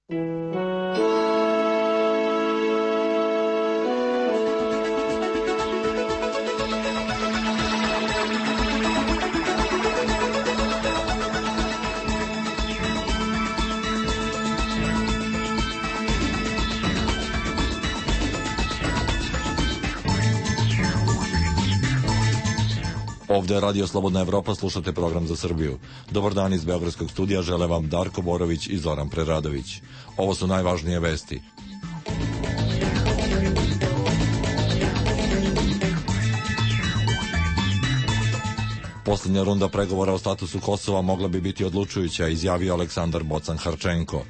Ovde je Radio Slobodna Evropa, slušate program za Srbiju. Dobar dan iz Beogradskog studija, žele vam Darko Borović i Zoran Preradović. Ovo su najvažnije vesti. Poslednja runda pregovora o statusu Kosova mogla bi biti odlučujuća, izjavio Aleksandar Bocan-Harčenko.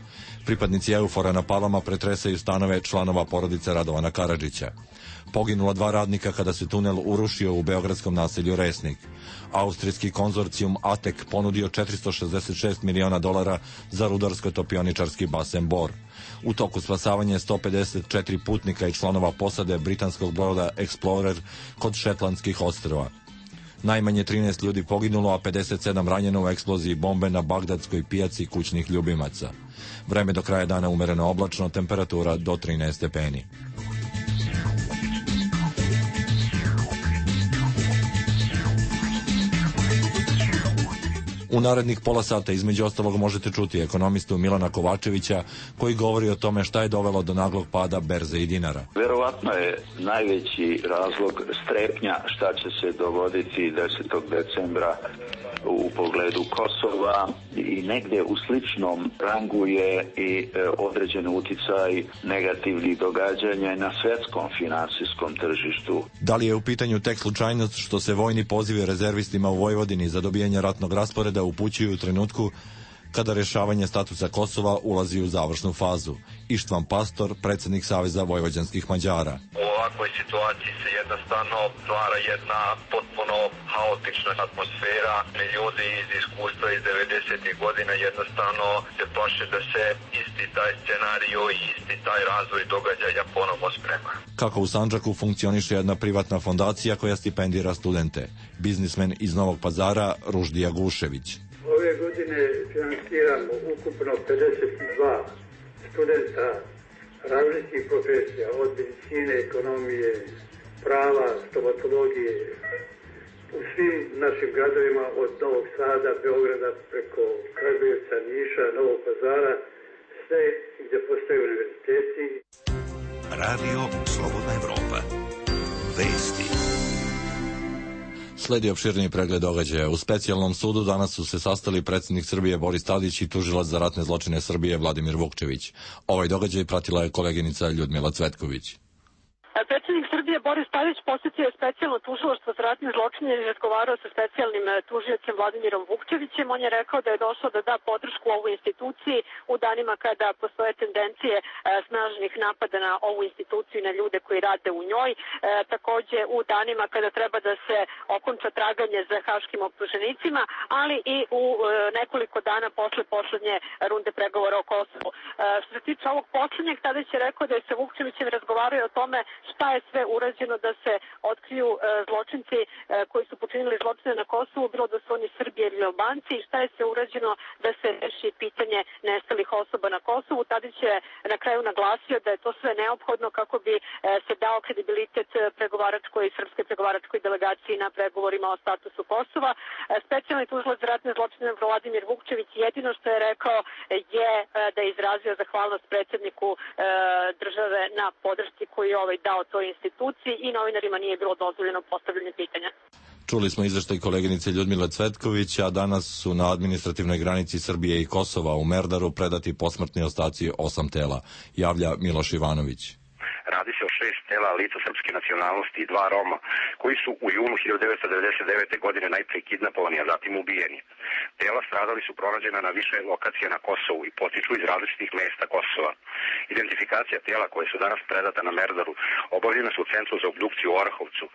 Pripadnici EUFOR-a na Palama pretresaju stanove članova porodice Radovana Karadžića. Poginula 2 radnika kada se tunel urušio u beogradskom naselju Resnik. Austrijski konzorcijum ATEK ponudio $466 miliona za rudarsko-topioničarski basen Bor. U toku spasavanja 154 putnika i članova posade britanskog broda Explorer kod Šetlandskih ostrva. Najmanje 13 ljudi poginulo, a 57 ranjeno u eksploziji bombe na bagdadskoj pijaci kućnih ljubimaca. Vreme do kraja dana umereno oblačno, temperatura do 13 stepeni. U narednih pola sata između ostalog možete čuti ekonomistu Milana Kovačevića koji govori o tome šta je dovelo do naglog pada berze i dinara. Verovatno je najveći razlog strepnja šta će se dogoditi 10. decembra u pogledu Kosova i negde u sličnom rangu je i određen uticaj negativnih događanja na svetskom finansijskom tržištu. Da li je u pitanju tek slučajnost što se vojni pozivi rezervistima u Vojvodini za dobijanje ratnog rasporeda upućuju u trenutku kada rešavanje statusa Kosova ulazi u završnu fazu? Ištvan Pastor, predsjednik Saveza vojvođanskih Mađara. U ovakvoj situaciji se jednostavno stvara jedna potpuno haotična atmosfera. Ljudi iz iskustva iz 90. godina jednostavno se plaše da se isti taj scenario i isti taj razvoj događaja ponovo sprema. Kako u Sandžaku funkcioniše jedna privatna fondacija koja stipendira studente? Biznismen iz Novog Pazara Ruždija Gušević. Ove godine finansiramo ukupno 52 studenta različitih profesija, od medicine, ekonomije, prava, stomatologije, u svim našim gradovima od Novog Sada, Beograda, preko Kragujevca, Niša, Novog Pazara, sve gdje postoje univerziteti. Radio Slobodna Evropa. Vesti. Sledi opširniji pregled događaja. U specijalnom sudu danas su se sastali predsjednik Srbije Boris Tadić i tužilac za ratne zločine Srbije Vladimir Vukčević. Ovaj događaj pratila je koleginica Ljudmila Cvetković. Predsjednik Srbije Boris Tadić posjetio je specijalno tužilaštvo za ratne zločine i razgovarao sa specijalnim tužiocem Vladimirom Vukčevićem. On je rekao da je došao da da podršku ovoj instituciji u danima kada postoje tendencije snažnih napada na ovu instituciju i na ljude koji rade u njoj. Takođe u danima kada treba da se okonča traganje za haškim optuženicima, ali i u nekoliko dana posle poslednje runde pregovora o Kosovu. Što se tiče ovog poslednjeg, Tadić je rekao da je sa Vukčevićem razgovarao o tome šta je sve urađeno da se otkriju zločinci koji su počinili zločine na Kosovu, bilo da su oni Srbi ili Albanci, i šta je sve urađeno da se reši pitanje nestalih osoba na Kosovu. Tadić je na kraju naglasio da je to sve neophodno kako bi se dao kredibilitet pregovaračkoj i srpskoj pregovaračkoj delegaciji na pregovorima o statusu Kosova. Specijalni tužilac za ratne zločine Vladimir Vukčević jedino što je rekao je da je izrazio zahvalnost predsjedniku države na podršci koju je dao toj instituciji i novinarima nije bilo dozvoljeno postavljanje pitanja. Čuli smo izveštaj koleginice Ljudmile Cvetković, a danas su na administrativnoj granici Srbije i Kosova u Merdaru predati posmrtni ostaci 8 tela, javlja Miloš Ivanović. Radi se o 6 tela lica srpske nacionalnosti i 2 Roma, koji su u junu 1999. godine najpre kidnapovani, a zatim ubijeni. Tela stradali su pronađena na više lokacija na Kosovu i potiču iz različitih mesta Kosova. Identifikacija tela koje su danas predata na Merdaru obavljena su u Centru za obdukciju u Orahovcu,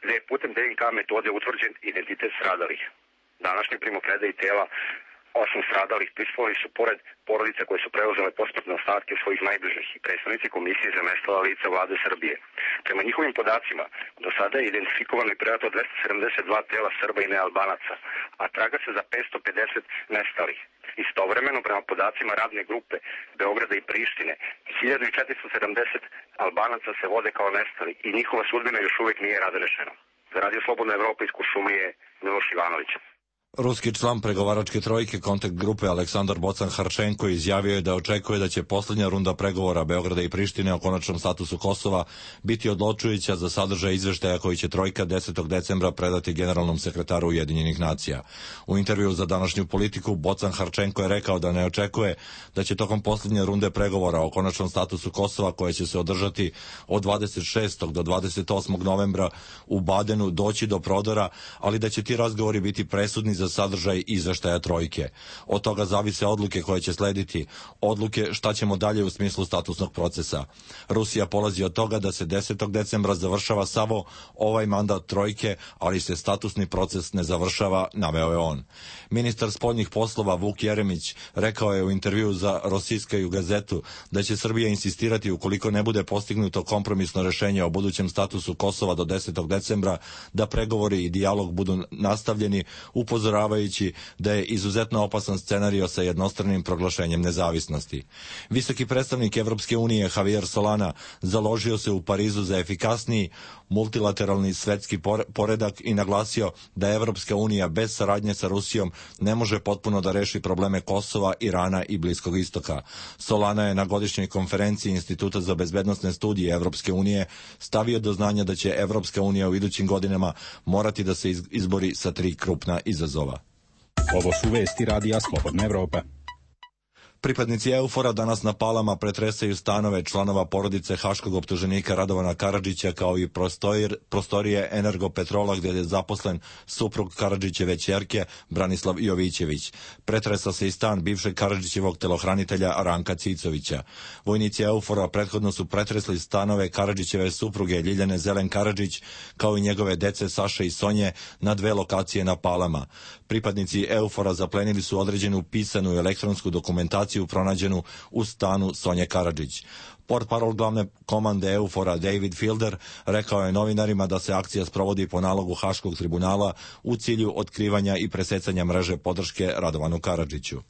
gde je putem DNK metode utvrđen identitet stradalih. Današnji primopredaji tela 8 stradalih prisustvovali su pored porodica koje su preuzele posmrtne ostatke svojih najbližih i predstavnici Komisije za nestala lica Vlade Srbije. Prema njihovim podacima, do sada je identifikovano i predato 272 tela Srba i nealbanaca, a traga se za 550 nestalih. Istovremeno, prema podacima radne grupe Beograda i Prištine, 1470 Albanaca se vode kao nestali i njihova sudbina još uvijek nije razrešena. Za Radio Slobodna Evropa iz Kuršumlije, Miloš Ivanović. Ruski član pregovaračke trojke kontakt grupe Aleksandar Bocan Harčenko izjavio je da očekuje da će posljednja runda pregovora Beograda i Prištine o konačnom statusu Kosova biti odlučujuća za sadržaj izveštaja koji će trojka 10. decembra predati generalnom sekretaru Ujedinjenih nacija. U intervju za današnju Politiku Bocan Harčenko je rekao da ne očekuje da će tokom posljednje runde pregovora o konačnom statusu Kosova, koje će se održati od 26. do 28. novembra u Badenu, doći do prodora, ali da će ti razgovori biti presudni za sadržaj izveštaja trojke. Od toga zavise odluke koje će slediti, odluke šta ćemo dalje u smislu statusnog procesa. Rusija polazi od toga da se 10. decembra završava samo ovaj mandat trojke, ali se statusni proces ne završava, naveo je on. Ministar spoljnih poslova Vuk Jeremić rekao je u intervjuu za Rosijskaju gazetu da će Srbija insistirati, ukoliko ne bude postignuto kompromisno rešenje o budućem statusu Kosova do 10. decembra, da pregovori i dijalog budu nastavljeni, upozoravajući da je izuzetno opasan scenario sa jednostranim proglašenjem nezavisnosti. Visoki predstavnik Evropske unije Javier Solana založio se u Parizu za efikasniji multilateralni svetski poredak i naglasio da Evropska unija bez saradnje sa Rusijom ne može potpuno da reši probleme Kosova, Irana i Bliskog istoka. Solana je na godišnjoj konferenciji Instituta za bezbednosne studije Evropske unije stavio do znanja da će Evropska unija u idućim godinama morati da se izbori sa 3 krupna izazova. Ovo su vesti Radija Slobodna Evropa. Pripadnici EUFOR-a danas na Palama pretresaju stanove članova porodice haškog optuženika Radovana Karadžića, kao i prostorije Energopetrola gdje je zaposlen suprug Karadžićeve ćerke Branislav Jovićević. Pretresa se i stan bivšeg Karadžićevog telohranitelja Ranka Cicovića. Vojnici EUFOR-a prethodno su pretresli stanove Karadžićeve supruge Ljiljane Zelen Karadžić, kao i njegove dece Saše i Sonje, na 2 lokacije na Palama. Pripadnici EUFOR-a zaplenili su određenu pisanu i elektronsku dokumentaciju pronađenu u stanu Sonje Karadžić. Portparol glavne komande EUFOR-a David Fielder rekao je novinarima da se akcija sprovodi po nalogu Haškog tribunala u cilju otkrivanja i presecanja mreže podrške Radovanu Karadžiću.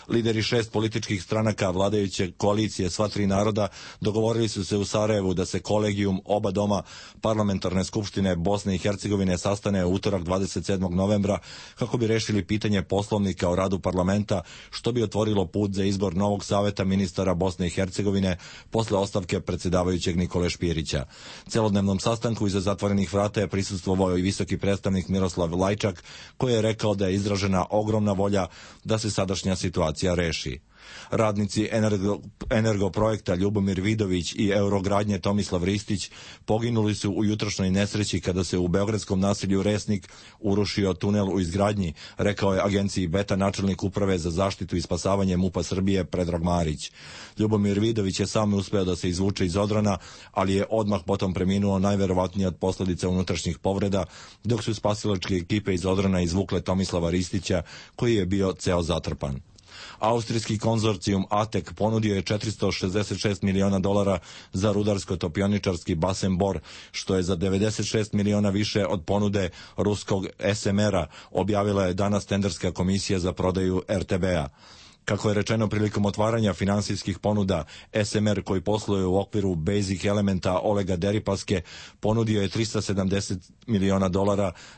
Lideri 6 političkih stranaka vladajuće koalicije Sva 3 naroda dogovorili su se u Sarajevu da se kolegijum oba doma Parlamentarne skupštine Bosne i Hercegovine sastane u utorak 27. novembra kako bi rešili pitanje poslovnika o radu parlamenta, što bi otvorilo put za izbor novog saveta ministara Bosne i Hercegovine posle ostavke predsjedavajućeg Nikole Špirića. Celodnevnom sastanku iza zatvorenih vrata je prisustvovao i visoki predstavnik Miroslav Lajčak, koji je rekao da je izražena ogromna volja da se sadašnja situacija reši. Radnici Energoprojekta Ljubomir Vidović i Eurogradnje Tomislav Ristić poginuli su u jutrošnjoj nesreći kada se u beogradskom naselju Resnik urušio tunel u izgradnji, rekao je agenciji Beta načelnik uprave za zaštitu i spasavanje MUP-a Srbije Predrag Marić. Ljubomir Vidović je sam uspeo da se izvuče iz odrana, ali je odmah potom preminuo, najverovatnije od posljedica unutrašnjih povreda, dok su spasilačke ekipe iz odrana izvukle Tomislava Ristića, koji je bio ceo zatrpan. Austrijski konzorcijum ATEK ponudio je $466 miliona za rudarsko-topioničarski basen Bor, što je za 96 miliona više od ponude ruskog SMR-a, objavila je danas tenderska komisija za prodaju RTB-a. Kako je rečeno prilikom otvaranja finansijskih ponuda, SMR, koji posluje u okviru Basic Elementa Olega Deripaske, ponudio je $370 miliona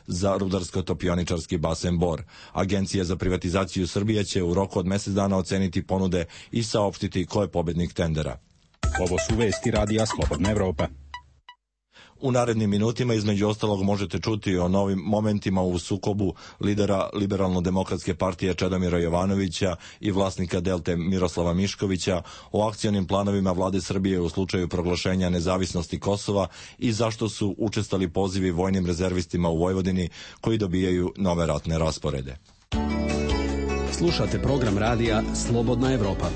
za rudarsko-topioničarski basen Bor. Agencija za privatizaciju Srbije će u roku od mjesec dana oceniti ponude i saopštiti ko je pobednik tendera. Ovo su vesti Radija Slobodna Evropa. U narednim minutima između ostalog možete čuti o novim momentima u sukobu lidera Liberalno-demokratske partije Čedomira Jovanovića i vlasnika Delte Miroslava Miškovića, o akcionim planovima vlade Srbije u slučaju proglašenja nezavisnosti Kosova i zašto su učestali pozivi vojnim rezervistima u Vojvodini koji dobijaju nove ratne rasporede. Slušate program radija Slobodna Evropa.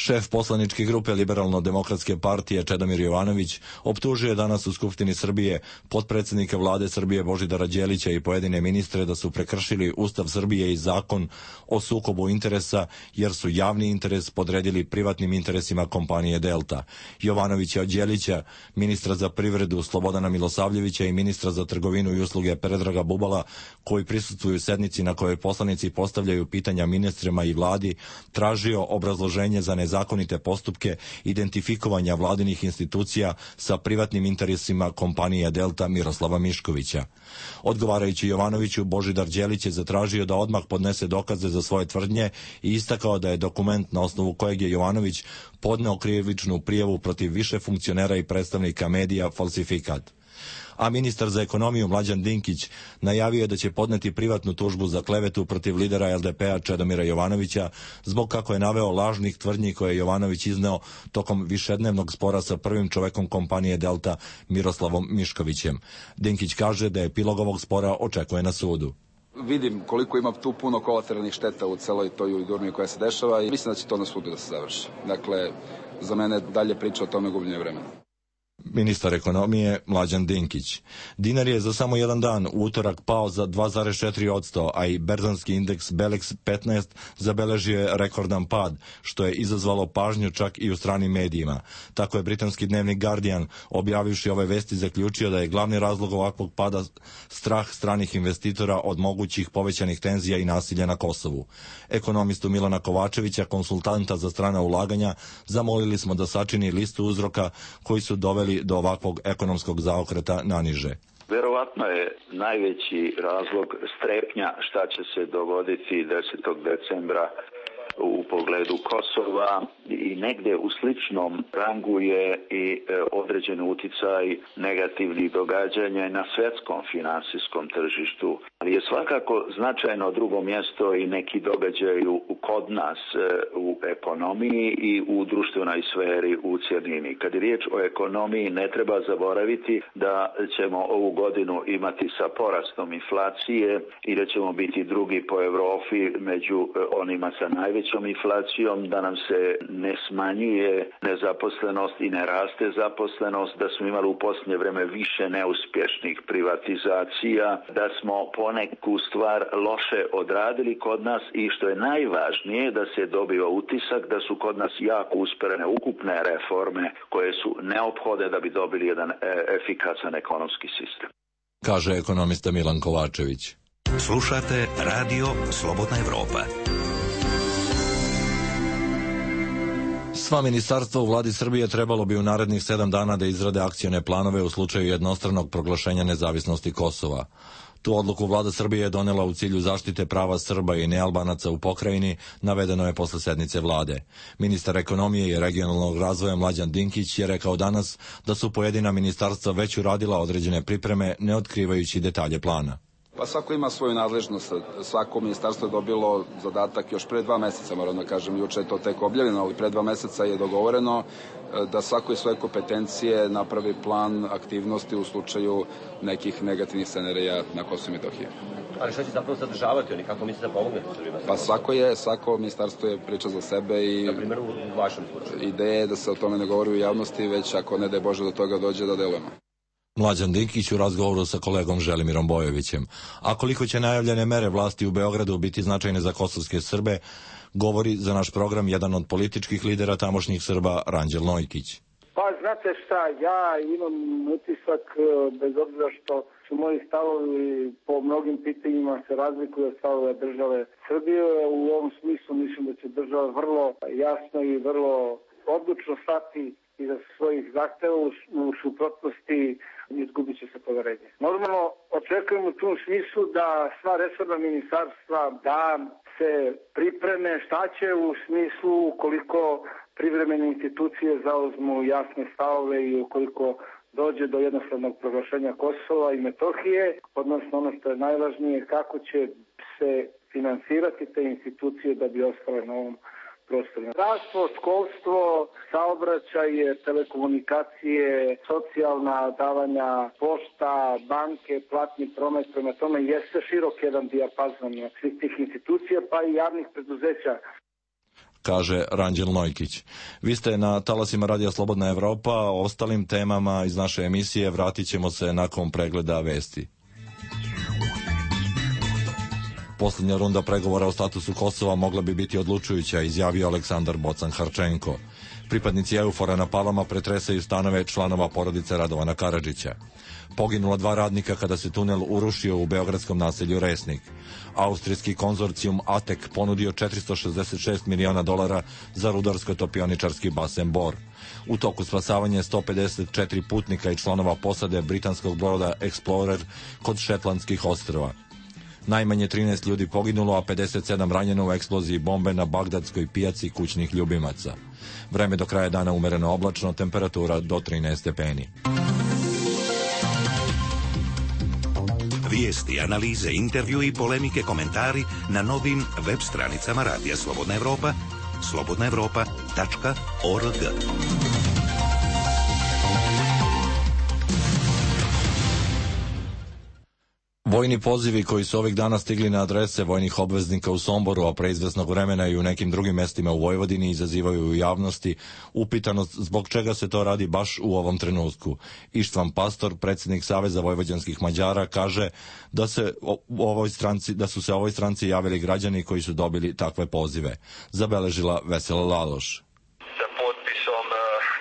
Šef poslaničke grupe Liberalno-demokratske partije Čedomir Jovanović optužio je danas u Skupštini Srbije potpredsjednika vlade Srbije Božidara Đelića i pojedine ministre da su prekršili Ustav Srbije i zakon o sukobu interesa jer su javni interes podredili privatnim interesima kompanije Delta. Jovanović je od Đelića, ministra za privredu Slobodana Milosavljevića i ministra za trgovinu i usluge Predraga Bubala, koji prisustvuju sednici na kojoj poslanici postavljaju pitanja ministrima i vladi, tražio obrazloženje za nezakonite postupke identifikovanja vladinih institucija sa privatnim interesima kompanije Delta Miroslava Miškovića. Odgovarajući Jovanoviću, Božidar Đelić je zatražio da odmah podnese dokaze za svoje tvrdnje i istakao da je dokument na osnovu kojeg je Jovanović podneo krivičnu prijavu protiv više funkcionera i predstavnika medija falsifikat. A ministar za ekonomiju Mlađan Dinkić najavio je da će podneti privatnu tužbu za klevetu protiv lidera LDP-a Čedomira Jovanovića zbog, kako je naveo, lažnih tvrdnji koje je Jovanović izneo tokom višednevnog spora sa prvim čovekom kompanije Delta Miroslavom Miškovićem. Dinkić kaže da epilog ovog spora očekuje na sudu. Vidim koliko ima tu puno kolateralnih šteta u celoj toj ujudurmi koja se dešava i mislim da će to na sudu da se završi. Dakle, za mene dalje priča o tome gubljenje vremena. Ministar ekonomije Mlađan Dinkić. Dinar je za samo jedan dan u utorak pao za 2,4%, a i berzanski indeks Belex 15 zabeležio je rekordan pad, što je izazvalo pažnju čak i u stranim medijima. Tako je britanski dnevnik Guardian, objavivši ove vesti, zaključio da je glavni razlog ovakvog pada strah stranih investitora od mogućih povećanih tenzija i nasilja na Kosovu. Ekonomistu Milana Kovačevića, konsultanta za strana ulaganja, zamolili smo da sačini listu uzroka koji su doveli do ovakvog ekonomskog zaokreta naniže. Verovatno je najveći razlog strepnja šta će se dogoditi 10. decembra u pogledu Kosova i negde u sličnom rangu je i određen uticaj negativnih događanja na svetskom finansijskom tržištu. Ali je svakako značajno drugo mjesto i neki događaj kod nas u ekonomiji i u društvenoj sferi u cjelini. Kad je riječ o ekonomiji, ne treba zaboraviti da ćemo ovu godinu imati sa porastom inflacije i da ćemo biti drugi po Evropi među onima sa najvećom inflacijom, da nam se ne smanjuje nezaposlenost i ne raste zaposlenost, da smo imali u posljednje vreme više neuspješnih privatizacija, da smo poneku stvar loše odradili kod nas i što je najvažnije da se dobiva utisak da su kod nas jako usperene ukupne reforme koje su neophodne da bi dobili jedan efikasan ekonomski sistem. Kaže ekonomista Milan Kovačević. Slušate Radio Slobodna Evropa. Sva ministarstva u vladi Srbije trebalo bi u narednih 7 dana da izrade akcione planove u slučaju jednostranog proglašenja nezavisnosti Kosova. Tu odluku vlada Srbije je donela u cilju zaštite prava Srba i nealbanaca u pokrajini, navedeno je posle sednice vlade. Ministar ekonomije i regionalnog razvoja Mlađan Dinkić je rekao danas da su pojedina ministarstva već uradila određene pripreme, ne otkrivajući detalje plana. Pa svako ima svoju nadležnost, svako ministarstvo je dobilo zadatak još pre 2 meseca, moram da kažem, juče je to tek objavljeno, ali pre 2 meseca je dogovoreno da svako iz svoje kompetencije napravi plan aktivnosti u slučaju nekih negativnih scenarija na Kosovu i Metohiji. Ali šta će zapravo sadržavati oni, kako mislite da pomognete Srbima? Pa svako ministarstvo je priča za sebe i na primjer u vašem slučaju. Ideja je da se o tome ne govori u javnosti, već ako ne daj Bože do toga dođe da delujemo. Mlađan Dinkić u razgovoru sa kolegom Želimirom Bojovićem. A koliko će najavljene mere vlasti u Beogradu biti značajne za kosovske Srbe, govori za naš program jedan od političkih lidera tamošnjih Srba, Ranđel Nojkić. Pa znate šta, ja imam utisak, bez obzira što su moji stavovi po mnogim pitanjima se razlikuju od stavove države Srbije, u ovom smislu mislim da će država vrlo jasno i vrlo odlučno stati iza svojih zahteva, u suprotnosti izgubit će se poverenje. Normalno, očekujem u tom smislu da sva resorna ministarstva da se pripreme šta će u smislu ukoliko privremene institucije zauzmu jasne stavove i ukoliko dođe do jednostavnog proglašenja Kosova i Metohije, odnosno ono što je najvažnije, kako će se finansirati te institucije da bi ostale na ovom prostoru. Zdravstvo, školstvo, saobraćaj, telekomunikacije, socijalna davanja, pošta, banke, platni promet, prema tome jeste širok jedan dijapazon svih tih institucija, pa i javnih preduzeća. kaže Ranđel Nojkić. Vi ste na talasima Radija Slobodna Evropa, o ostalim temama iz naše emisije vratit ćemo se nakon pregleda vesti. Posljednja runda pregovora o statusu Kosova mogla bi biti odlučujuća, izjavio Aleksandar Bocan Harčenko. Pripadnici EUFOR-a na Palama pretresaju stanove članova porodice Radovana Karadžića. Poginula 2 radnika kada se tunel urušio u beogradskom naselju Resnik. Austrijski konzorcijum ATEK ponudio $466 miliona za rudarsko-topioničarski basen Bor. U toku spasavanja 154 putnika i članova posade britanskog broda Explorer kod Šetlandskih ostrva. Najmanje 13 ljudi poginulo, a 57 ranjeno u eksploziji bombe na bagdadskoj pijaci kućnih ljubimaca. Vreme do kraja dana umereno oblačno, temperatura do 13 stepeni. Vijesti, analize, intervju i polemike, komentari na novim web stranicama Radija Slobodna Evropa, slobodnaevropa.org. Vojni pozivi koji su ovih dana stigli na adrese vojnih obveznika u Somboru, a pre izvesnog vremena i u nekim drugim mestima u Vojvodini, izazivaju u javnosti upitanost zbog čega se to radi baš u ovom trenutku. Ištvan Pastor, predsjednik Saveza vojvođanskih Mađara, kaže da su se ovoj stranci javili građani koji su dobili takve pozive. Zabeležila Vesela Laloš. Sa potpisom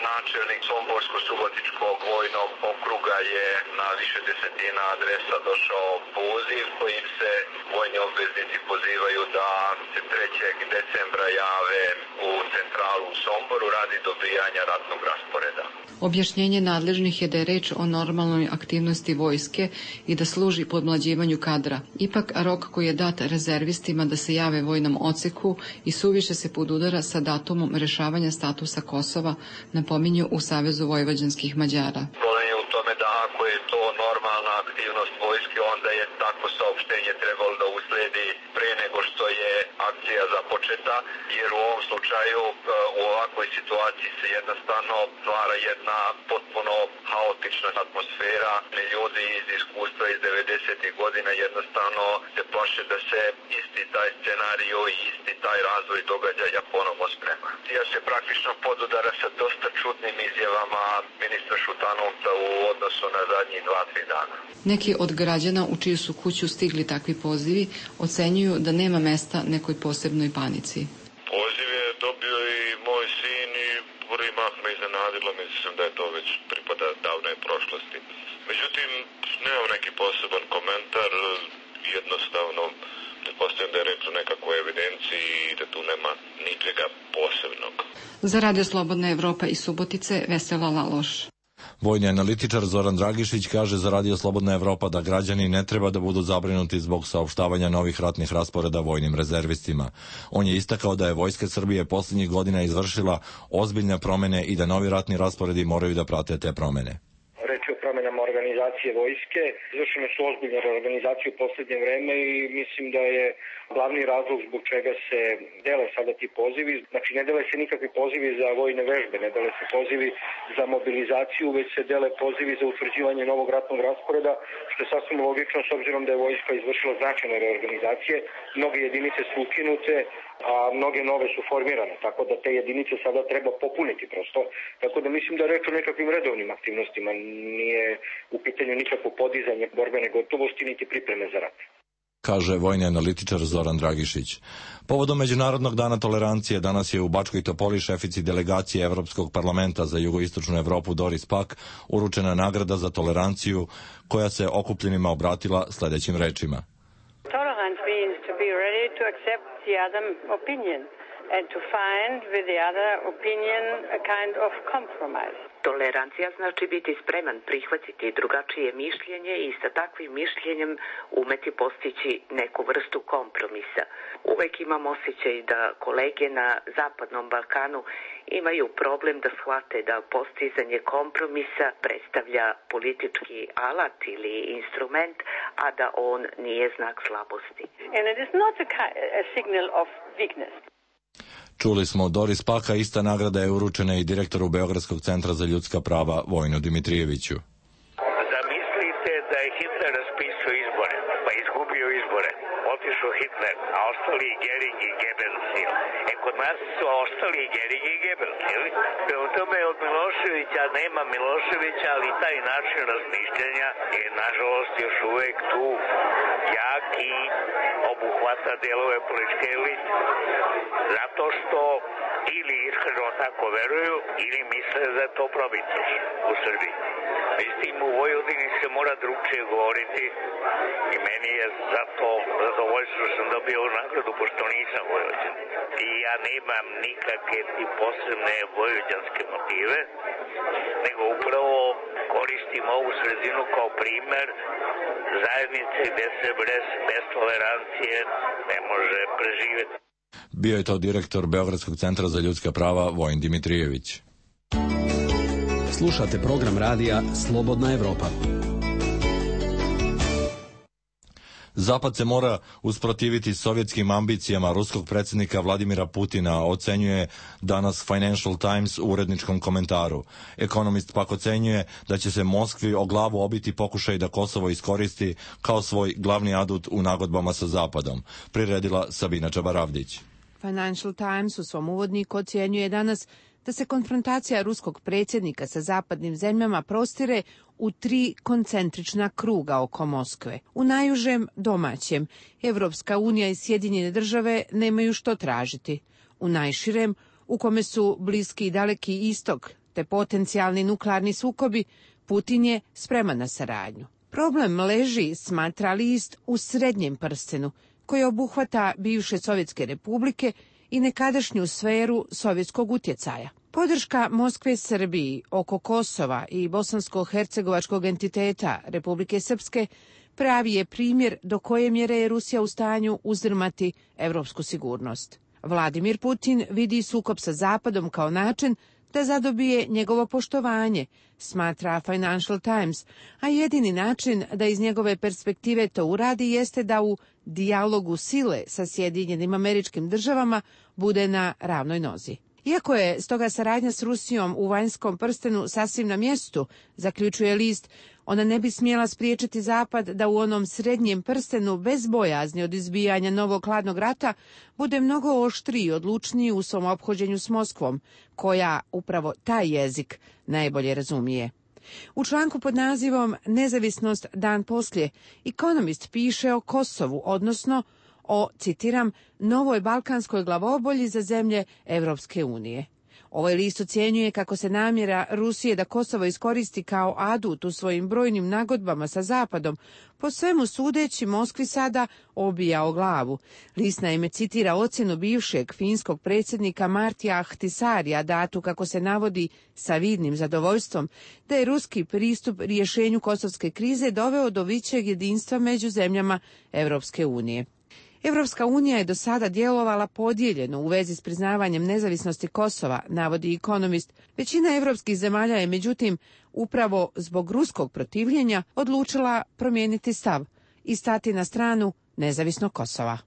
načelnik Somborsko-Subotičkog vojnog okruga je na više desetina adresa došao poziv kojim se vojni obveznici pozivaju da se 3. decembra jave u centralu u Somboru radi dobijanja ratnog rasporeda. Objašnjenje nadležnih je da je reč o normalnoj aktivnosti vojske i da služi podmlađivanju kadra. Ipak, rok koji je dat rezervistima da se jave vojnom odseku i suviše se podudara sa datumom rešavanja statusa Kosova, napominju u Savezu vojvođanskih Mađara. Problem je u tome da ako je to normalna aktivnost vojske, onda je takvo saopštenje trebalo da usledi pre nego što je akcija započeta, jer u ovom slučaju u ovakvoj situaciji se jednostavno stvara jedna potpuno haotična atmosfera. Ljudi iz iskustva iz 90. godina jednostavno se plaše da se isti taj scenariju i isti taj razvoj događaja ponovno sprema. Ja se praktično podudara sa dosta čudnim izjavama ministra Šutanovca u odnosu na zadnjih 2-3 dana. Neki od građana u čiju su kuću stigli takvi pozivi ocenjuju da nema mesta nekoj posebnoj panici. Poziv je dobio i moj sin i prvi mah me iznenadilo, mislim da je to već pripada davnoj prošlosti. Međutim, nemam neki poseban komentar, jednostavno pretpostavljam da je reč o nekakvoj evidenciji i da tu nema ničega posebnog. Za Radio Slobodna Evropa iz Subotice, Vesela Laloš. Vojni analitičar Zoran Dragišić kaže za Radio Slobodna Evropa da građani ne treba da budu zabrinuti zbog saopštavanja novih ratnih rasporeda vojnim rezervistima. On je istakao da je Vojska Srbije posljednjih godina izvršila ozbiljne promene i da novi ratni rasporedi moraju da prate te promene. Reč je o promenama organizacije vojske. Izvršene su ozbiljne reorganizacije u posljednje vreme i mislim da je glavni razlog zbog čega se dele sada ti pozivi. Znači, ne dele se nikakvi pozivi za vojne vežbe, ne dele se pozivi za mobilizaciju, već se dele pozivi za utvrđivanje novog ratnog rasporeda, što je sasvim logično s obzirom da je vojska izvršila značajne reorganizacije. Mnoge jedinice su ukinute, a mnoge nove su formirane, tako da te jedinice sada treba popuniti prosto. Tako da mislim da je reč o nekakvim redovnim aktivnostima, nije u pitanju nikakvo podizanje borbene gotovosti niti pripreme za rat, kaže vojni analitičar Zoran Dragišić. Povodom Međunarodnog dana tolerancije danas je u Bačkoj Topoli šefici delegacije Evropskog parlamenta za jugoistočnu Evropu Doris Pack uručena nagrada za toleranciju koja se okupljenima obratila sljedećim rečima. Tolerance means to be ready to accept the other opinion and to find with the other opinion a kind of compromise. Tolerancija znači biti spreman prihvatiti drugačije mišljenje i sa takvim mišljenjem umeti postići neku vrstu kompromisa. Uvek imam osjećaj da kolege na Zapadnom Balkanu imaju problem da shvate da postizanje kompromisa predstavlja politički alat ili instrument, a da on nije znak slabosti. And it is not a signal of weakness. Čuli smo Doris Paka, ista nagrada je uručena i direktoru Beogradskog centra za ljudska prava Vojinu Dimitrijeviću. Zamislite da je Hitler raspisao izbore, pa izgubio izbore. Otišao Hitler, a ostali Gering i Goebbels. Kod Hamas su ostali Gering i Goebbels, jeli? Prema tome od Miloševića nema Miloševića, ali taj način razmišljanja je nažalost još uvek tu jak i obuhvata delove političke elite. Zato što ili iskreno tako veruju ili misle da je to probitaš u Srbiji. Međutim, u Vojvodini se mora drugčije govoriti i meni je zato zadovoljstvo što sam dobio ovu nagradu, pošto nisam Vojvodin. I ja nemam nikakve ti posebne vojvođanske motive, nego upravo koristim ovu sredinu kao primer zajednice gde se bez tolerancije ne može preživjeti. Bio je to direktor Beogradskog centra za ljudska prava Vojin Dimitrijević. Slušate program radija Slobodna Evropa. Zapad se mora usprotiviti sovjetskim ambicijama ruskog predsjednika Vladimira Putina, ocenjuje danas Financial Times u uredničkom komentaru. Ekonomist pak ocenjuje da će se Moskvi o glavu obiti pokušaj da Kosovo iskoristi kao svoj glavni adut u nagodbama sa Zapadom. Priredila Sabina Čabaravdić. Financial Times u svom uvodniku ocjenjuje danas da se konfrontacija ruskog predsjednika sa zapadnim zemljama prostire u 3 koncentrična kruga oko Moskve. U najužem domaćem, Evropska unija i Sjedinjene države nemaju što tražiti. U najširem, u kome su Bliski i Daleki istok te potencijalni nuklearni sukobi, Putin je spreman na saradnju. Problem leži, smatra list, u srednjem prstenu, koji obuhvata bivše Sovjetske republike i nekadašnju sferu sovjetskog utjecaja. Podrška Moskve Srbiji oko Kosova i bosansko-hercegovačkog entiteta Republike Srpske pravi je primjer do koje mjere je Rusija u stanju uzdrmati evropsku sigurnost. Vladimir Putin vidi sukob sa Zapadom kao način da zadobije njegovo poštovanje, smatra Financial Times, a jedini način da iz njegove perspektive to uradi jeste da u dijalogu sile sa Sjedinjenim Američkim Državama bude na ravnoj nozi. Iako je stoga saradnja s Rusijom u vanjskom prstenu sasvim na mjestu, zaključuje list, ona ne bi smjela spriječiti Zapad da u onom srednjem prstenu bez bojazni od izbijanja novog hladnog rata bude mnogo oštriji i odlučniji u svom ophođenju s Moskvom, koja upravo taj jezik najbolje razumije. U članku pod nazivom Nezavisnost dan poslije, Economist piše o Kosovu, odnosno o, citiram, novoj balkanskoj glavobolji za zemlje Evropske unije. Ovaj list ocjenjuje kako se namjera Rusije da Kosovo iskoristi kao adut u svojim brojnim nagodbama sa Zapadom, po svemu sudeći Moskvi sada obija o glavu. List naime citira ocjenu bivšeg finskog predsjednika Martija Ahtisarija, datu kako se navodi sa vidnim zadovoljstvom, da je ruski pristup rješenju kosovske krize doveo do većeg jedinstva među zemljama Evropske unije. Evropska unija je do sada djelovala podijeljeno u vezi s priznavanjem nezavisnosti Kosova, navodi Economist. Većina evropskih zemalja je, međutim, upravo zbog ruskog protivljenja odlučila promijeniti stav i stati na stranu nezavisnog Kosova.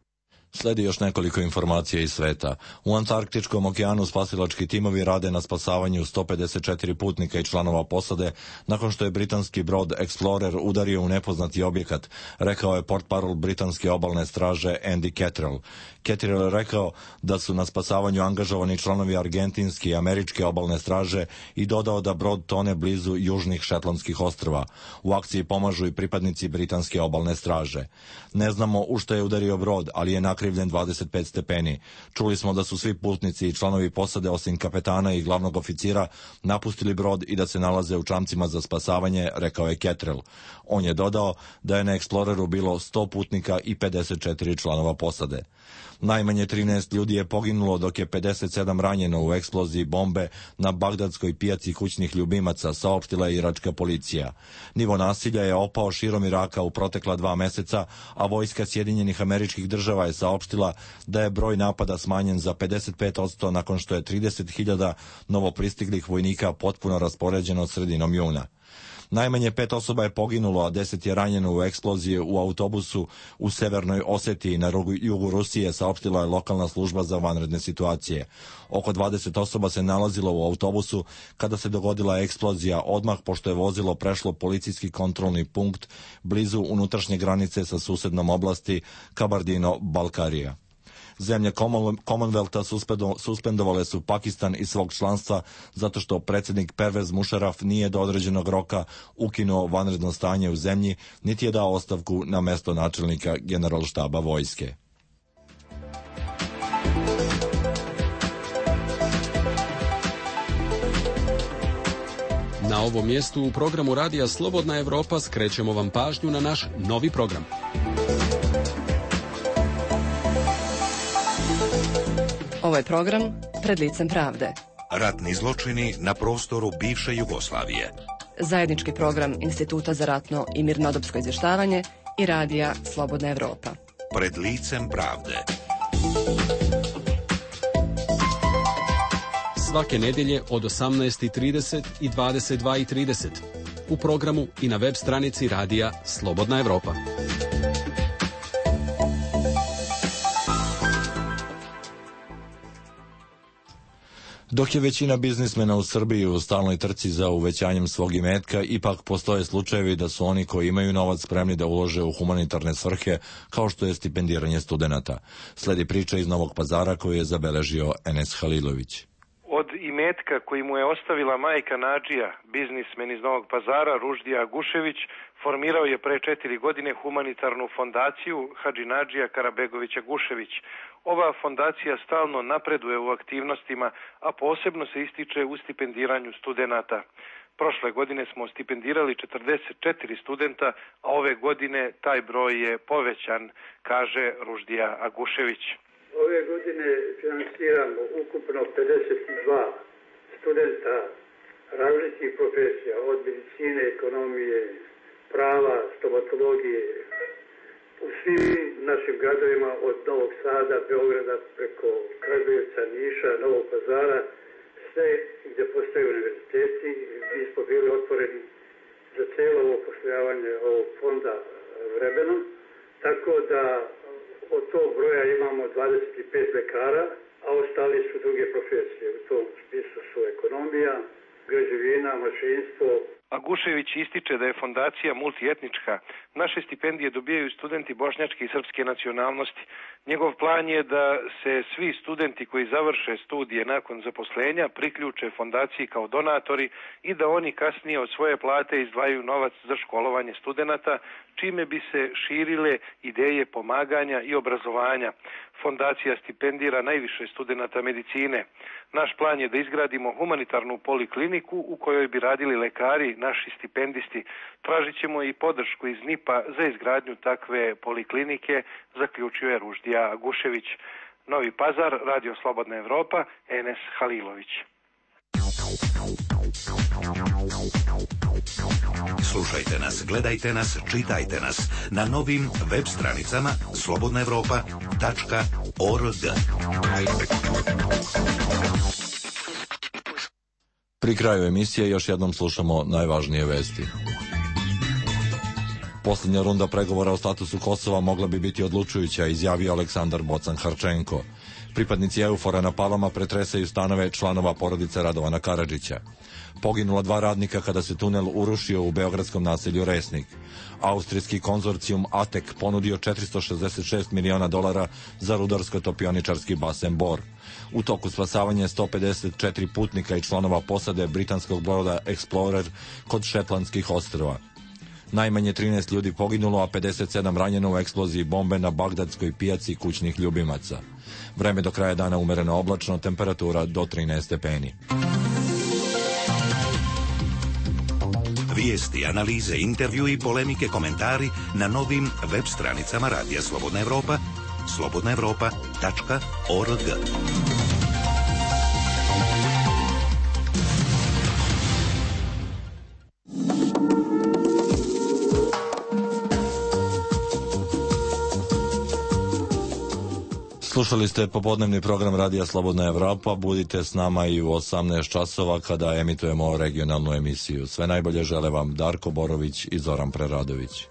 Sledi još nekoliko informacija iz sveta. U Antarktičkom okeanu spasilački timovi rade na spasavanju 154 putnika i članova posade nakon što je britanski brod Explorer udario u nepoznati objekat, rekao je portparol britanske obalne straže Andy Cattrall. Cattrall je rekao da su na spasavanju angažovani članovi argentinske i američke obalne straže i dodao da brod tone blizu južnih Šetlandskih ostrva. U akciji pomažu i pripadnici britanske obalne straže. Ne znamo u što je udario brod, ali je nakrivljen 25 stepeni. Čuli smo da su svi putnici i članovi posade osim kapetana i glavnog oficira napustili brod i da se nalaze u čamcima za spasavanje, rekao je Cattrall. On je dodao da je na Exploreru bilo 100 putnika i 54 članova posade. Najmanje 13 ljudi je poginulo, dok je 57 ranjeno u eksploziji bombe na bagdadskoj pijaci kućnih ljubimaca, saopštila je iračka policija. Nivo nasilja je opao širom Iraka u protekla 2 meseca, a vojska Sjedinjenih Američkih Država je saopštila da je broj napada smanjen za 55% nakon što je 30.000 novopristiglih vojnika potpuno raspoređeno sredinom juna. Najmanje 5 osoba je poginulo, a 10 je ranjeno u eksploziji u autobusu u Severnoj Osetiji na jugu Rusije, saopštila je lokalna služba za vanredne situacije. Oko 20 osoba se nalazilo u autobusu kada se dogodila eksplozija, odmah pošto je vozilo prešlo policijski kontrolni punkt blizu unutrašnje granice sa susednom oblasti Kabardino-Balkarija. Zemlje Commonwealtha suspendovale su Pakistan iz svog članstva zato što predsjednik Pervez Musharraf nije do određenog roka ukinuo vanredno stanje u zemlji, niti je dao ostavku na mesto načelnika Generalštaba vojske. Na ovom mjestu u programu Radija Slobodna Evropa skrećemo vam pažnju na naš novi program. Ovo je program Pred licem pravde. Ratni zločini na prostoru bivše Jugoslavije. Zajednički program Instituta za ratno i mirnodopsko izvještavanje i Radija Slobodna Evropa. Pred licem pravde. Svake nedjelje od 18:30 i 22:30 u programu i na web stranici Radija Slobodna Evropa. Dok je većina biznismena u Srbiji u stalnoj trci za uvećanjem svog imetka, ipak postoje slučajevi da su oni koji imaju novac spremni da ulože u humanitarne svrhe, kao što je stipendiranje studenata. Sledi priča iz Novog Pazara koju je zabeležio Enes Halilović. Od imetka koji mu je ostavila majka Nadžija, biznismen iz Novog Pazara, Ruždija Agušević, formirao je pre 4 godine humanitarnu fondaciju Hadži Nadžija Karabegović Agušević. Ova fondacija stalno napreduje u aktivnostima, a posebno se ističe u stipendiranju studenata. Prošle godine smo stipendirali 44 studenta, a ove godine taj broj je povećan, kaže Ruždija Agušević. Ove godine finansiramo ukupno 52 studenta različitih profesija, od medicine, ekonomije, prava, stomatologije, u svim našim gradovima od Novog Sada, Beograda, preko Kragujevca, Niša, Novog Pazara, sve gdje postoje univerziteti, mi smo bili otvoreni za cijelo ovo poslojavanje ovog fonda vremenom, tako da od tog broja imamo 25 lekara, a ostali su druge profesije. U tom smislu su ekonomija, građevina, mašinstvo. Agušević ističe da je fondacija multietnička. Naše stipendije dobijaju studenti bošnjačke i srpske nacionalnosti. Njegov plan je da se svi studenti koji završe studije nakon zaposlenja priključe fondaciji kao donatori i da oni kasnije od svoje plate izdvajaju novac za školovanje studenata, čime bi se širile ideje pomaganja i obrazovanja. Fondacija stipendira najviše studenata medicine. Naš plan je da izgradimo humanitarnu polikliniku u kojoj bi radili lekari, naši stipendisti. Tražit ćemo i podršku iz NIP-a za izgradnju takve poliklinike, zaključio je Ruždija Agušević. Novi Pazar, Radio Slobodna Evropa, Enes Halilović. Slušajte nas, gledajte nas, čitajte nas na novim web stranicama slobodnaevropa.org. Pri kraju emisije još jednom slušamo najvažnije vesti. Posljednja runda pregovora o statusu Kosova mogla bi biti odlučujuća, izjavio Aleksandar Bocan Harčenko. Pripadnici EUFOR-a na Palama pretresaju stanove članova porodice Radovana Karadžića. Poginula 2 radnika kada se tunel urušio u beogradskom naselju Resnik. Austrijski konzorcijum ATEK ponudio $466 miliona za rudarsko-topioničarski basen Bor. U toku spasavanja 154 putnika i članova posade britanskog broda Explorer kod Šetlandskih ostrva. Najmanje 13 ljudi poginulo, a 57 ranjeno u eksploziji bombe na bagdadskoj pijaci kućnih ljubimaca. Vreme do kraja dana umereno oblačno, temperatura do 13 stepeni. Vijesti, analize, intervjui, polemike, komentari na novim web stranicama Radija Slobodna Evropa, slobodnaevropa.org. Slušali ste popodnevni program Radija Slobodna Evropa. Budite s nama i u 18 časova kada emitujemo regionalnu emisiju. Sve najbolje žele vam Darko Borović i Zoran Preradović.